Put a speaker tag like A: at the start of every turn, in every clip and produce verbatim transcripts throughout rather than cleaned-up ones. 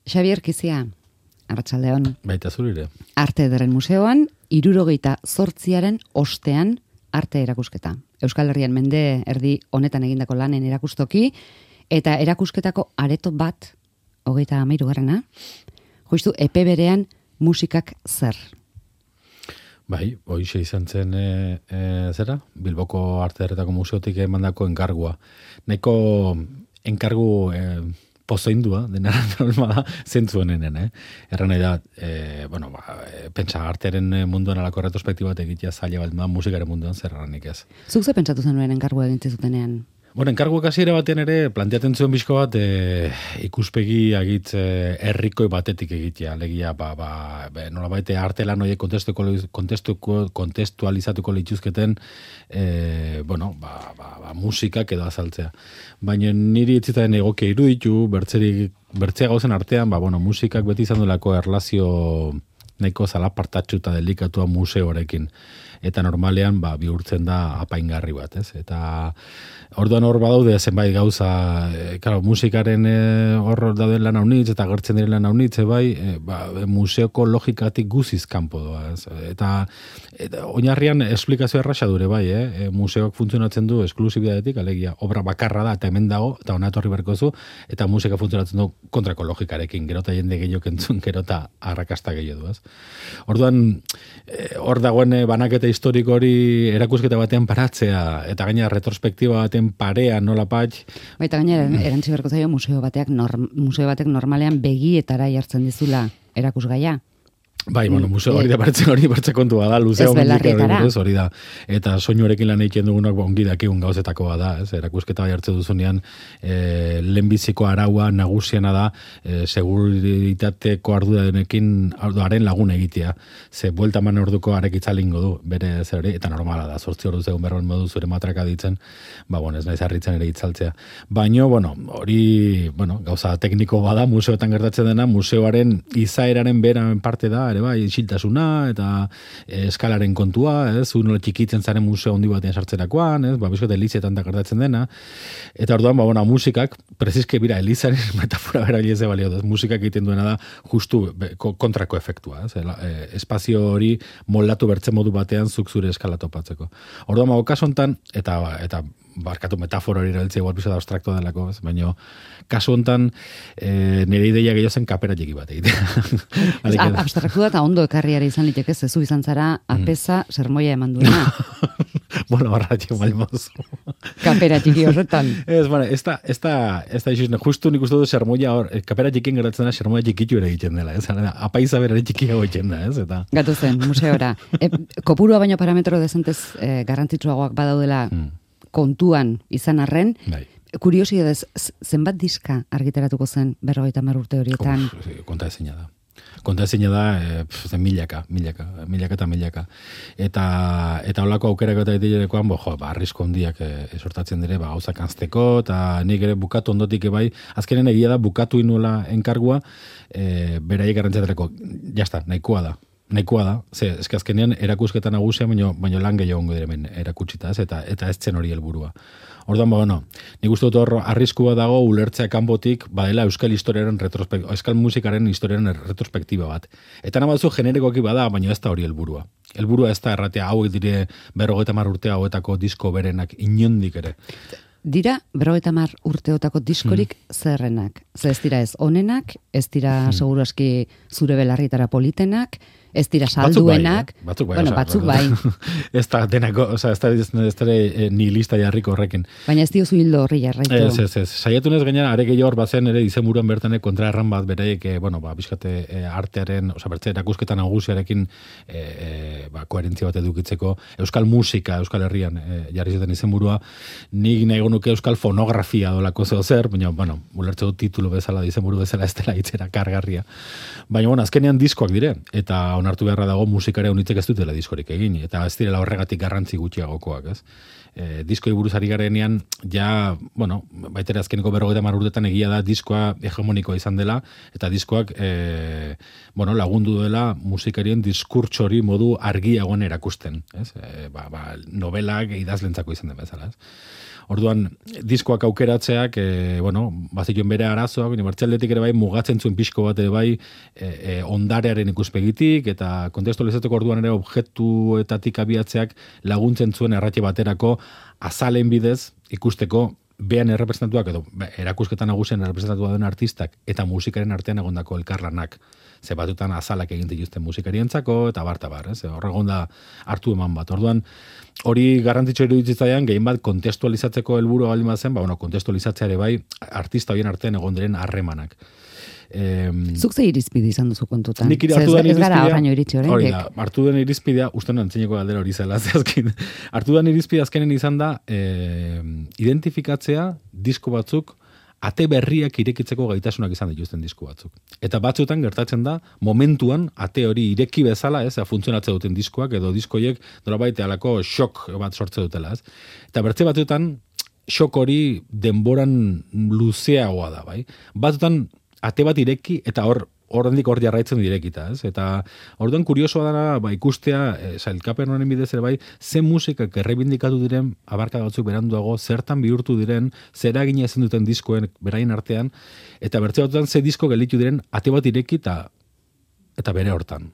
A: Xabier Kizia, arratsaldeon.
B: Baita zurire.
A: Arte Ederren Museoan, hirurogeita zortziaren ostean arte erakusketa. Euskal Herrian mende erdi honetan egindako lanen erakustoki, eta erakusketako areto bat, hogeita hamairu garrana, justu epe berean musikak zer.
B: Bai, hoixe izan zen e, e, zera, Bilboko Arte Ederretako Museotik emandako enkargua. Nahiko enkargu e, pozoindua, denara normala, zentzu honenen, eh? Erran nahi da, e, bueno, ba, e, pentsa artearen munduan alako retrospektiba bat egitea zaila bat, ma, musikaren munduan zer erranik ez.
A: Zuk ze pentsatu zenuen enkargua egin zutenean?
B: Bueno, enkarguak hasiera batean ere planteatzen zuen bizko bat e, ikuspegi agitz e, herrikoi batetik egitea, alegia ba ba, ba nolabait artelan horiek kontestuko kontestuko kontestualizatuko lituzketen e, bueno, ba, ba, ba musikak edo azaltzea. Baina niri etzitzen egokia iruditu, bertzerik bertzea gauzen artean, ba bueno, musikak beti izan delako erlazio nahiko zalapartatsu eta delikatua museoarekin. Eta normalean ba, bihurtzen da apaingarri bat, ez? Eta orduan hor badaude zenbait gauza, e, claro, musikaren e, hor dauden lan haunitz, eta gertzen diren lan haunitz, bai, e, ba, museoko logikatik guziz kanpo doa, ez? Eta, eta oinarrian esplikazio erraxa dure, bai, eh? E, museoak funtzionatzen du esklusibidadetik, alegia, obra bakarra da, eta hemen dago, eta hona etorri berko zu, eta musika funtzionatzen du kontrako logikarekin, gero eta jende gehiok entzun, gero eta arrakasta gehiago du, ez? Orduan, e, hor dagoen banaketa historiko hori erakusketa batean paratzea, eta gaina retrospektiba baten parea nola patx.
A: Baita gaina erantzi berko zaio museo bateak norm, museo batek normalean begietara jartzen dizula erakusgaia.
B: Bai, bueno, museo hori da partzen hori bertze kontua da, luzea hori da. Eta soinuarekin lan egiten dugunak ongi dakigun gauzetako da, ez? Erakusketa bai hartze duzunean, e, lehenbiziko araua nagusiena da, e, seguritateko arduradenekin arduaren lagun egitea. Ze buelta man orduko arek itzalingo du, bere zer hori, eta normala da, zortzi ordu zegoen berroen modu zure matraka ditzen, ba, bueno, ez naiz harritzen ere itzaltzea. Baino, bueno, hori, bueno, gauza tekniko bada, museoetan gertatzen dena, museoaren izaeraren beran parte da, ere bai, isiltasuna eta e, eskalaren kontua, ez, uno txikitzen zaren museo handi batean sartzerakoan, ez, ba, bizko delizietan da gertatzen dena, eta orduan, ba, bona, musikak, preziske bira, elizaren metafora bera bileze balio, ez, musikak egiten duena da, justu be, kontrako efektua, ez, e, espazio hori moldatu bertzen modu batean zuk zure eskala topatzeko. Orduan, ba, kasu hontan, eta, eta barkatu metafora hori erabiltzea igual piso da abstrakto delako, ez, baina kasu hontan e, nire ideia gehiago zen kapera txiki bat egitea.
A: Abstraktu da eta ondo ekarriara izan liteke, zezu izan zara apesa mm. sermoia eman duena.
B: Bueno, barra txik malmoz.
A: Kapera txiki horretan.
B: Ez, bueno, ez da, ez da, ez da, justu nik uste du sermoia hor, kapera txikien geratzen da sermoia txikitu ere egiten dela, ez? Apaiza berare txikiago egiten da, ez? Eta...
A: Gatu zen, museora. E, kopurua baino parametro dezentez e, garrantzitsuagoak badaudela mm. kontuan izan arren, bai. Kuriosidadez, zenbat diska argitaratuko zen berrogeita hamar urte horietan?
B: Uf, konta ezina da. Konta ezina da, e, milaka, milaka, milaka eta milaka. Eta, eta holako aukerako eta itilerekoan, bo, jo, ba, arrisko hondiak e, sortatzen dire, ba, gauzak anzteko, eta nik ere bukatu ondotik bai, azkenen egia da, bukatu inuela enkargua, e, beraiek garrantzaterako, jazta, nahikoa da. Nahikoa da, ze, eske azkenean erakusketa nagusia, baino, baino lan gehiago ongo diremen erakutsita, ez, eta, eta ez zen hori helburua. Orduan, ba, bueno, nik uste dut hor arriskua dago ulertzea kanpotik badela euskal historiaren retrospektiba, euskal musikaren historiaren retrospektiba bat. Eta nabazu generikoki bada, baina ez da hori helburua. Helburua ez da erratea hauek dire berrogeita hamar urte hauetako disko berenak inondik ere.
A: Dira, berrogeita hamar urteotako diskorik mm. zerrenak. Ze ez dira ez onenak, ez dira mm. seguru aski zure belarritara politenak, ez dira salduenak,
B: batzuk bai, eh?
A: bueno, batzuk bai.
B: Ez da denako, oza, ez da, ez da e, ni lista jarriko horrekin.
A: Baina ez diozu hildo horri jarraitu.
B: Ez, ez, ez. Saiatunez gainera, are gehiago hor bazen ere izenburuan bertan kontra erran bat beraiek, e, bueno, ba, bizkate e, artearen, oza, bertze erakusketan nagusiarekin e, e, ba, koherentzia bat edukitzeko, euskal musika, euskal herrian e, jarri zuten izenburua, nik nahi nuke euskal fonografia dolako zeo zer, baina, bueno, ulertze dut titulu bezala, izenburu bezala ez dela itzera kargarria. Baina, bueno, azkenean diskoak dire, eta onartu beharra dago musikarea unitzek ez dutela diskorik egin, eta ez direla horregatik garrantzi gutxiagokoak, ez? E, diskoi buruzari garenean, ja, bueno, baitera azkeneko berrogeita hamar urtetan egia da diskoa hegemonikoa izan dela, eta diskoak, e, bueno, lagundu dela musikarien diskurtsori modu argiagoan erakusten, ez? E, ba, ba, novelak idazlentzako izan den bezala, ez? Orduan, diskoak aukeratzeak, e, bueno, bazituen bere arazoak, unibertsaletik ere bai, mugatzen zuen pixko bat ere bai, e, e, ondarearen ikuspegitik, eta kontestualizatzeko orduan ere objektuetatik abiatzeak laguntzen zuen erratxe baterako azalen bidez ikusteko behan errepresentatuak edo erakusketan nagusien errepresentatua den artistak eta musikaren artean egondako elkarlanak. Ze batutan azalak egin dituzten musikarientzako eta barta bar, ez? Horregon da hartu eman bat. Orduan, hori garrantzitsu iruditzaidan gehien bat kontestualizatzeko helburua baldin bazen, ba bueno, kontestualizatzea ere bai artista horien artean egon diren harremanak.
A: Eh, Zuk ze irizpide izan duzu kontutan?
B: Nik hartu den irizpidea,
A: oraino iritsi oraindik.
B: Hori da, hartu den irizpidea, uste non antzineko galdera hori zela, azken. Hartu den irizpidea azkenen izan da, eh, identifikatzea disko batzuk ate berriak irekitzeko gaitasunak izan dituzten disko batzuk. Eta batzuetan gertatzen da, momentuan ate hori ireki bezala, ez, funtzionatzen duten diskoak, edo diskoiek nolabait halako shock bat sortze dutela, ez. Eta bertze batzuetan, shock hori denboran luzeagoa da, bai. Batzuetan, ate bat ireki, eta hor, horrendik hor jarraitzen direkita, ez? Eta orduan kuriosoa dara, ba, ikustea, e, sailkapen honen bidez ere bai, ze musikak errebindikatu diren, abarka batzuk beranduago, zertan bihurtu diren, zera egina ezin duten diskoen beraien artean, eta bertze batzutan ze disko gelitu diren, ate bat ireki, eta, eta bere hortan.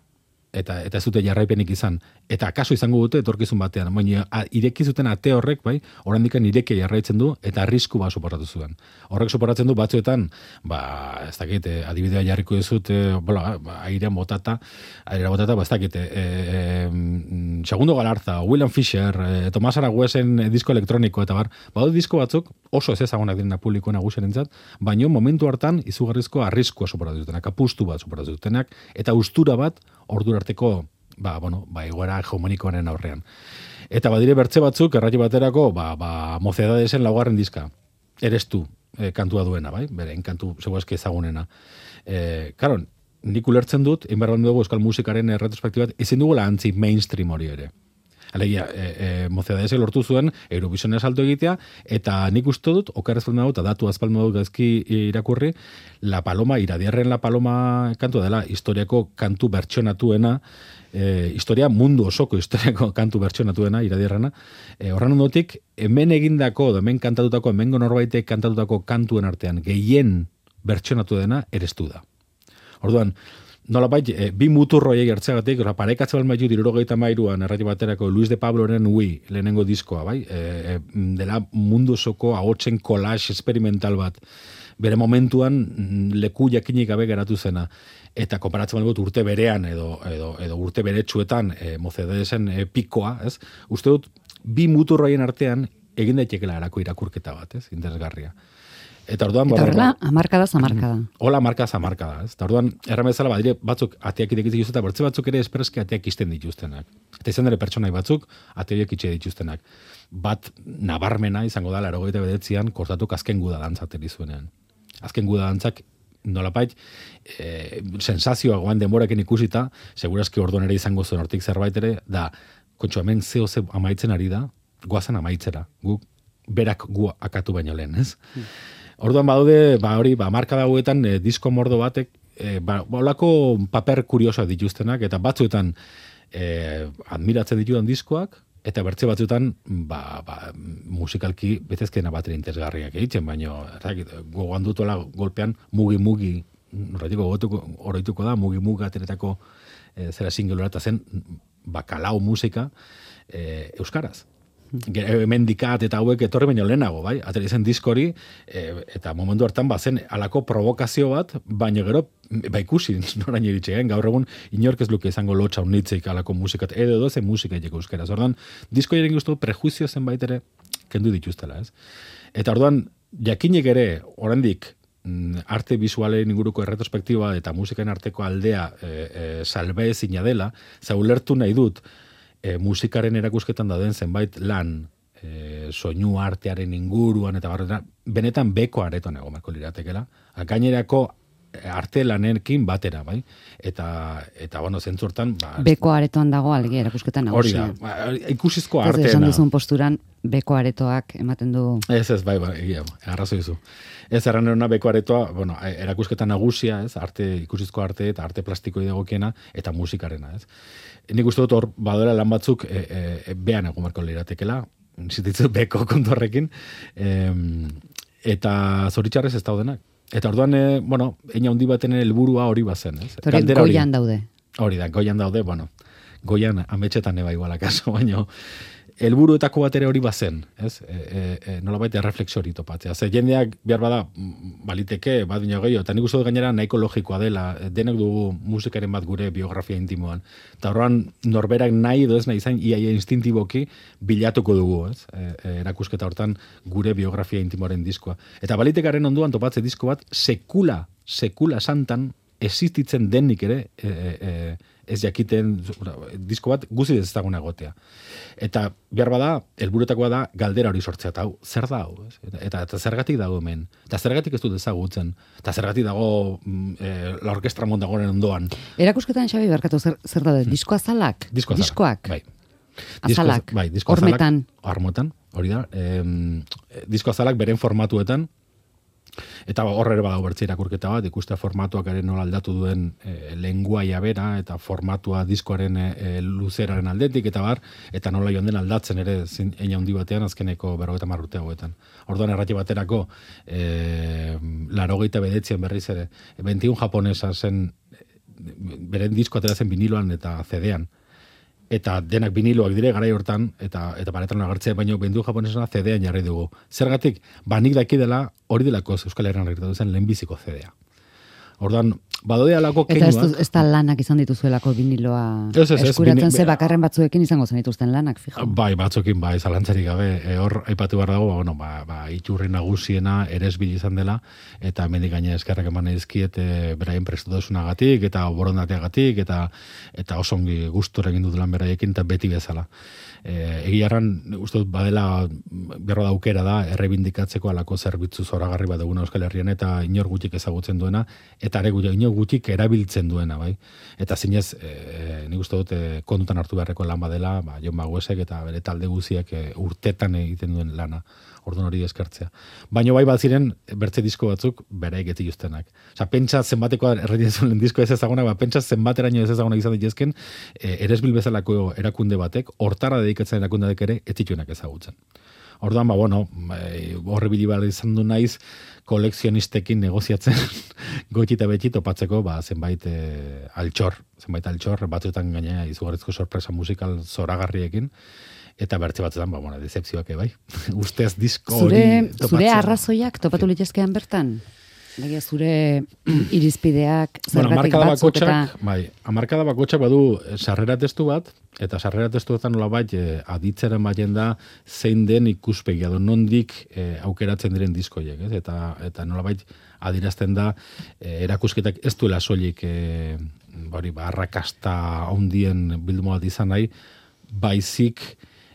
B: Eta, eta ez dute jarraipenik izan. Eta akaso izango dute etorkizun batean. Baina ireki zuten ate horrek, bai, oraindikan ireki jarraitzen du, eta arrisku ba soportatu zuen. Horrek soportatzen du batzuetan, ba, ez dakit, adibidea jarriko dizut, e, bola, ba, airean botata, airean botata, ba, ez dakit, e, e, Segundo Galarza, William Fisher, e, Tomas Aragüesen disko elektroniko, eta bar, badu disko batzuk, oso ez ezagunak direna publiko nagusienentzat, baino momentu hartan izugarrizko arriskua soportatu dutenak, apustu bat soportatu dutenak, eta ustura bat ordura arteko, ba, bueno, ba, egoera hegemonikoaren aurrean. Eta badire bertze batzuk, erratio baterako, ba, ba, Mocedadesen laugarren diska. Eres tu, e, kantua duena, bai? Bere, kantu seguazki ezagunena. E, karo, nik ulertzen dut, inberran dugu euskal musikaren retrospektibat, ezin dugula antzi mainstream hori ere. Alegia, e, e, Mocedadesen lortu zuen Eurovisionen salto egitea, eta nik uste dut, okarrez falda dut, eta datu azpalma dut gazki irakurri, La Paloma, Iradiarren La Paloma kantua dela, historiako kantu bertsionatuena, e, historia mundu osoko historiako kantu bertsionatuena, Iradiarrena, e, horren ondotik, hemen egindako, hemen kantatutako, hemen norbaitek kantatutako kantuen artean, gehien bertsionatu dena, erestu da. Orduan, nolabait, e, bi muturroiek hartzeagatik, parekatze balmaitu dirurogeita mairuan, errati baterako Luis de Pabloren Ui, lehenengo diskoa, bai? E, e, dela mundu osoko ahotsen collage experimental bat, bere momentuan leku jakinik gabe geratu zena. Eta konparatzen balmut urte berean, edo, edo, edo urte beretsuetan, e, Mocedadesen e, pikoa, ez? Uste dut, bi muturroien artean, egin daitekela erako irakurketa bat, ez? Interesgarria. Eta orduan,
A: eta horrela, amarkada zamarkada.
B: Hola, amarkada zamarkada. Eta orduan, erramezala, badire batzuk ateak irekitzen dituzten, eta bertze batzuk ere espreski ateak isten dituztenak. Eta izan dere pertsonai batzuk, ateak itxe dituztenak. Bat nabarmena izango da, laurogeita bederatzian, kortatuk azken guda dantzateri zuenean. Azken guda dantzak, nolapait, e, sensazioa goan denboraken ikusita, segurazki orduan ere izango zuen hortik zerbait ere, da, kontxo hemen zeo ze amaitzen ari da, goazen amaitzera, guk berak gu akatu baino lehen, ez? Hmm. Orduan badaude, ba hori, ba markada hauetan e, disko mordo batek e, ba holako paper kuriosoak dituztenak eta batzuetan e, admiratzen ditudan diskoak eta bertze batzuetan ba, ba musikalki betezkena batera interesgarriak egiten, baino gogoan dutola golpean mugi mugi horretiko gogotuko oroituko da mugi mugi ateretako e, zera singelora eta zen bakalau musika e, euskaraz. Mendikat eta hauek etorri baino lehenago, bai? Atera izan diskori, e, eta momentu hartan bazen alako provokazio bat, baino gero, ba ikusi, noraino iritxean, gaur egun inork ez luke izango lotxa unitzik alako musikat, edo edo zen musika egeko euskaraz. Orduan, disko jaren guztu prejuizio zenbait ere kendu dituztela, ez? Eta orduan, jakinek ere, oraindik arte visualen inguruko erretrospektiba eta musikan arteko aldea e, e, salbe ezina dela, zaulertu nahi dut, E, musikaren erakusketan dauden zenbait lan, e, soinu artearen inguruan, eta barretena, benetan beko aretoan egon marko liratekela, gainerako arte lanekin batera, bai? Eta, eta bueno, zentzortan... Ba,
A: beko aretoan dago algi erakusketan nagusia.
B: Hori da, ba, ikusizko arteena.
A: Esan duzun posturan, beko aretoak ematen du...
B: Ez, ez, bai, bai, egia, arrazo dizu. Ez, erranerona beko aretoa, bueno, erakusketan nagusia, ez, arte, ikusizko arte eta arte plastiko idegokiena, eta musikarena, ez. Nik uste dut hor, badoela lan batzuk e, e, behan egon marko liratekela, zititzu beko kontorrekin, em, eta zoritxarrez ez daudenak. Eta orduan, e, bueno, eina handi baten helburua hori bazen. Ez?
A: Hori goian daude.
B: Hori da, goian daude, bueno, goian ametxetan eba igual akaso, baina helburuetako bat ere hori bazen, ez? E, e, e, nola baita erreflexio hori topatzea. Ze jendeak behar bada, baliteke, bat dino gehiago, eta nik uste dut gainera nahiko logikoa dela, denek dugu musikaren bat gure biografia intimoan. Eta horrean norberak nahi edo ez nahi zain, iaia instintiboki bilatuko dugu, ez? E, e, erakusketa hortan gure biografia intimoaren diskoa. Eta balitekaren onduan topatze disko bat, sekula, sekula santan, existitzen denik ere, e, e, ez jakiten, disko bat guzi ezaguna egotea. Eta behar bada, helburutakoa da galdera hori sortzea, eta hau, zer da hau? Eta, eta zergatik dago hemen? Eta zergatik ez dut ezagutzen? Eta zergatik dago e, la orkestra mondagoren ondoan?
A: Erakusketan, Xabi, barkatu, zer, zer da, disko azalak?
B: Disko azalak.
A: Diskoak?
B: Bai.
A: Azalak?
B: Bai, disko azalak.
A: Hormetan?
B: Armotan, hori da. E, disko azalak beren formatuetan, eta horre ere badago bertze irakurketa bat, ikustea formatuak ere nola aldatu duen e, lenguaia bera, eta formatua diskoaren e, luzeraren aldetik, eta bar, eta nola joan den aldatzen ere zin, eina handi batean azkeneko berrogeita hamar urte hauetan. Orduan errati baterako e, larogeita bedetzian berriz ere, bentiun japonesa zen, beren disko atera zen viniloan eta C D-an. Eta denak viniloak dire garai hortan, eta eta paretan agertzea, baino bendu japonesena C D-an jarri dugu. Zergatik, banik daki dela, hori delako Euskal Herrian gertatu zen lehenbiziko C D-a. Orduan, badode alako keinuak.
A: Eta ez, ez da lanak izan dituzuelako viniloa
B: ez, ez,
A: eskuratzen
B: ez,
A: ze bakarren batzuekin izango zen dituzten lanak, fijo.
B: Bai, batzuekin, bai, zalantzarik gabe. E, hor, aipatu behar dago, ba, bueno, ba, ba, iturri nagusiena eresbil izan dela, eta mendik gaine eskerrak eman edizkiet e, beraien prestutasunagatik, eta borondateagatik, eta eta osongi gustora egin dut lan beraiekin, eta beti bezala. E, egiarran, uste dut, badela, berro daukera da, errebindikatzeko alako zerbitzu zoragarri bat duguna Euskal Herrian, eta inor gutxik ezagutzen duena, eta ere inor gutxik erabiltzen duena, bai. Eta zinez, e, nik uste dut, e, kontutan hartu beharreko lan badela, ba, Jon Baguesek eta bere talde guziak e, urtetan egiten duen lana, orduan hori eskertzea. Baina bai bat ziren, bertze disko batzuk, beraik ez dituztenak. Osa, pentsa zenbateko erreditzen disko ez ezagunak, ba, pentsa zenbateraino ez ezagunak izan dituzken, e, eresbil bezalako erakunde batek, hortara dedikatzen erakundeak ere, ez zituenak ezagutzen. Orduan, ba, bueno, horre bilibar izan du naiz, kolekzionistekin negoziatzen goiti eta beti topatzeko, ba, zenbait e, altxor, zenbait altxor, batzuetan gainea izugarrizko sorpresa musikal zoragarriekin, eta bertze batzuetan, ba, bueno, decepzioak bai. Ustez disko hori topatzea.
A: Zure arrazoiak topatu litezkean bertan? Baina zure irizpideak, zergatik
B: bueno,
A: batzuk eta...
B: Bai, amarkada bakotxak badu sarrera testu bat, eta sarrera testuetan nola bat e, aditzeren baien da zein den ikuspegia, do nondik e, aukeratzen diren diskoiek, ez? Eta, eta nola bat adirazten da e, erakusketak ez duela soilik e, bari, ba, arrakasta ondien bildumo bat izan nahi, baizik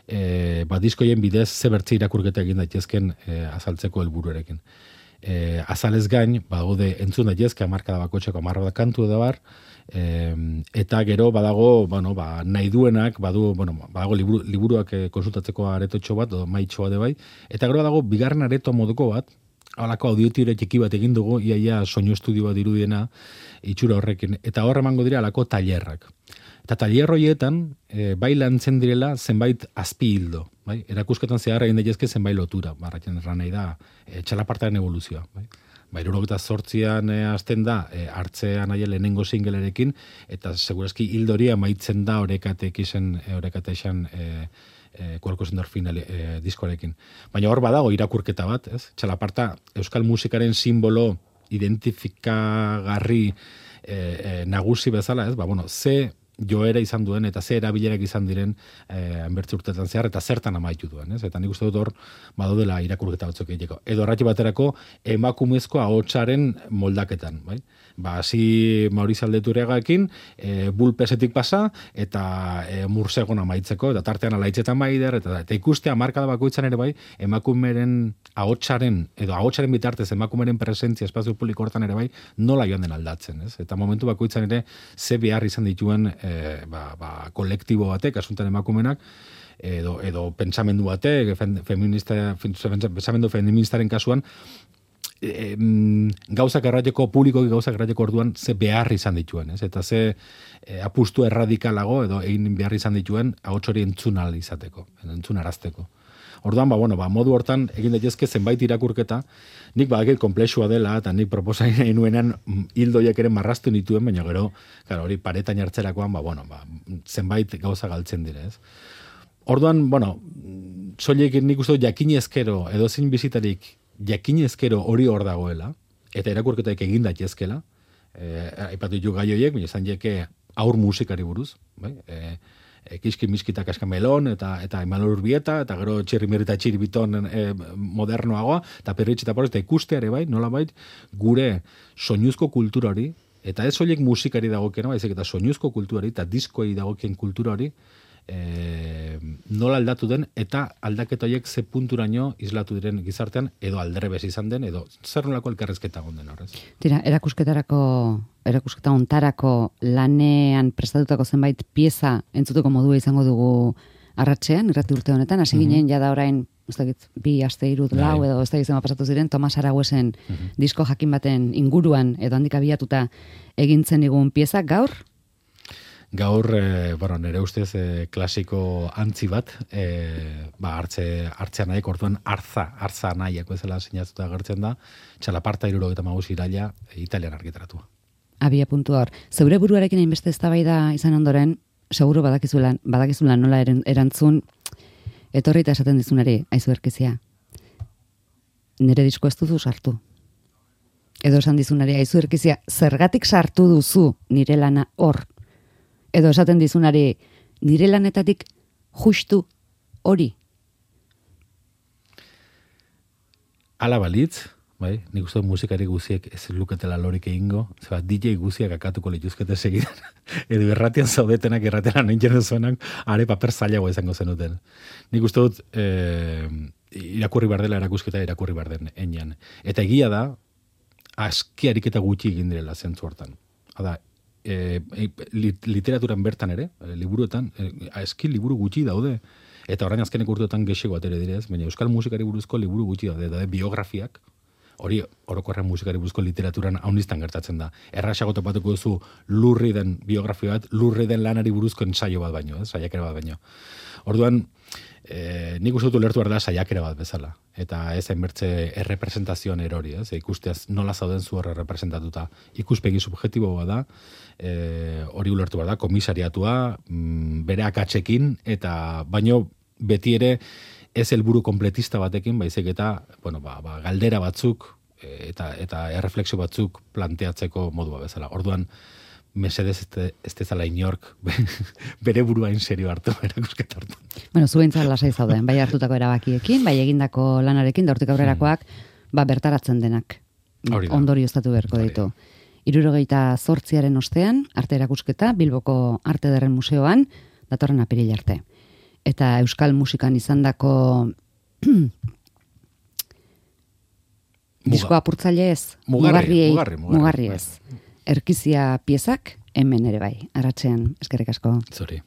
B: e, ba, diskoien bidez zebertze irakurketa egin daitezken e, azaltzeko helburuarekin. E, azalez gain, badaude entzun daitezke hamarkada bakotxeko hamarra da kantu edo bar, e, eta gero badago, bueno, ba, nahi duenak, badu, bueno, badago liburu, liburuak e, konsultatzeko aretotxo bat, edo maitxoa de bai, eta gero badago bigarren areto moduko bat, halako audiotire txiki bat egin dugu, iaia soinu estudio bat irudiena, itxura horrekin, eta horre emango dira halako tailerrak. Eta tailer horietan, e, bai lantzen direla zenbait azpi hildo. Bai? Erakusketan zehar egin daitezke zenbait lotura. Barratzen erran nahi da, e, txalapartaren evoluzioa. Bai? Ba, irurogeta zortzian e, azten da, e, hartzean aia lehenengo singlerekin, eta segurazki hildoria maitzen da orekatek izan, e, orekate izan, e, e, kualko zendorfin e, diskorekin. Baina hor badago irakurketa bat, ez? Txalaparta, euskal musikaren simbolo identifikagarri e, e, nagusi bezala, ez? Ba, bueno, ze joera izan duen, eta ze erabilerak izan diren eh, enbertze urtetan zehar, eta zertan amaitu duen, ez? Eta nik uste dut hor, badodela irakurketa batzuk egiteko. Edo arrati baterako, emakumezko ahotsaren moldaketan, bai? Ba, hasi Mauriz Aldeturegakin, e, bulpesetik pasa, eta e, mursegon amaitzeko, eta tartean alaitzetan baider, eta, eta ikustea markada bakoitzan ere bai, emakumeren ahotsaren, edo ahotsaren bitartez emakumeren presentzia espazio publiko hortan ere bai, nola joan den aldatzen, ez? Eta momentu bakoitzan ere, ze behar izan dituen e, ba, ba, kolektibo batek, asuntan emakumenak, edo, edo pentsamendu batek, feminista, pentsamendu feministaren kasuan, E, gauzak errateko, publikoki gauzak errateko orduan ze behar izan dituen, ez? Eta ze e, apustu erradikalago edo egin behar izan dituen ahots hori entzun ahal izateko, entzun arazteko. Orduan, ba, bueno, ba, modu hortan egin daitezke zenbait irakurketa, nik badakit komplexua dela, eta nik proposain nuenean hildoiak ere marraztu nituen, baina gero, claro, hori paretan jartzerakoan, ba, bueno, ba, zenbait gauza galtzen dire, ez? Orduan, bueno, soilik nik uste dut jakinezkero, edo zin bizitarik jakinezkero hori hor dagoela, eta irakurketaik egin daitezkela, eh, aipatu ditu gai horiek, baina izan jeke aur musikari buruz, bai? E, e, kiski miskita kaskamelon, eta eta Imanol Urbieta, eta gero txirrimiri eta txiribiton e, modernoagoa, eta perritxe eta porrez, eta ikusteare bai, nola bai, gure soinuzko kultura hori, eta ez horiek musikari dagokena, baizik eta soinuzko kultura hori, eta diskoei dagokien kultura hori, e, nola aldatu den, eta aldaketa horiek ze punturaino islatu diren gizartean, edo aldrebes izan den, edo zer nolako elkarrezketa gonden horrez.
A: Tira, erakusketarako, erakusketa ontarako lanean prestatutako zenbait pieza entzuteko modua izango dugu arratsean, irrati urte honetan, hasi ginen mm-hmm. jada orain, ez dakit, bi aste irut lau, edo ez dakit zema pasatu ziren, Tomas Araguesen mm-hmm. disko jakin baten inguruan, edo handik abiatuta egintzen digun pieza, gaur?
B: Gaur, e, bueno, nire ustez e, klasiko antzi bat, e, ba, hartze, hartzea nahiak, orduan arza, arza nahiak bezala sinatuta gertzen da, txalaparta iruro eta magus iraila e, italian argitaratua. Abia
A: puntu hor. Zeure buruarekin hainbeste eztabaida izan ondoren, seguro badakizulan, badakizulan nola erantzun, etorri eta esaten dizunari, aizu erkizia. Nire disko ez duzu sartu. Edo esan dizunari, aizu erkizia, zergatik sartu duzu nire lana hor. Edo esaten dizunari, nire lanetatik justu hori.
B: Ala balitz, bai, nik uste musikari guziek ez luketela lorik egingo, zeba D J guziak akatuko lituzkete segidan, edo erratian zaudetenak, erratean nintzen zuenak, are paper zailago izango zenuten. Nik uste dut, eh, irakurri behar dela erakusketa, irakurri behar den enian. Eta egia da, aski ariketa gutxi egin direla zentzu hortan. Hada, E, literaturan bertan ere, e, liburuetan, e, aski liburu gutxi daude, eta orain azkenek urteotan gexeko atere direz, baina euskal musikari buruzko liburu gutxi daude, daude biografiak, hori orokorren musikari buruzko literaturan hauniztan gertatzen da. Erraxago topatuko duzu lurri den biografia bat, lurri den lanari buruzko ensaio bat baino, ez, saiakera bat baino. Orduan, e, nik uste dut lertu behar da saiakera bat bezala, eta ez enbertze errepresentazioan erori, ez, ikusteaz nola zauden zu horre representatuta. Ikuspegi subjektibo bat da, e, hori ulertu behar da, komisariatua, mm, bere akatsekin, eta baino beti ere ez helburu kompletista batekin, baizik eta, bueno, ba, ba, galdera batzuk, e, eta, eta erreflexio batzuk planteatzeko modua bezala. Orduan, mesedez ez dezala inork bere buruain serio hartu, erakusketa hartu.
A: Bueno, zuentzat lasai zauden, bai hartutako erabakiekin, bai egindako lanarekin, da hortik aurrerakoak, hmm. ba bertaratzen denak. Ondorioztatu beharko ditu. Hirurogeita zortziaren ostean, arte erakusketa, Bilboko Arte Ederren Museoan, datorren apiril arte. Eta euskal musikan izandako disko apurtzaile ez,
B: mugarri, mugarri,
A: mugarri ez. Erkizia piezak, hemen ere bai, arratsean, eskerrik asko.
B: Zori.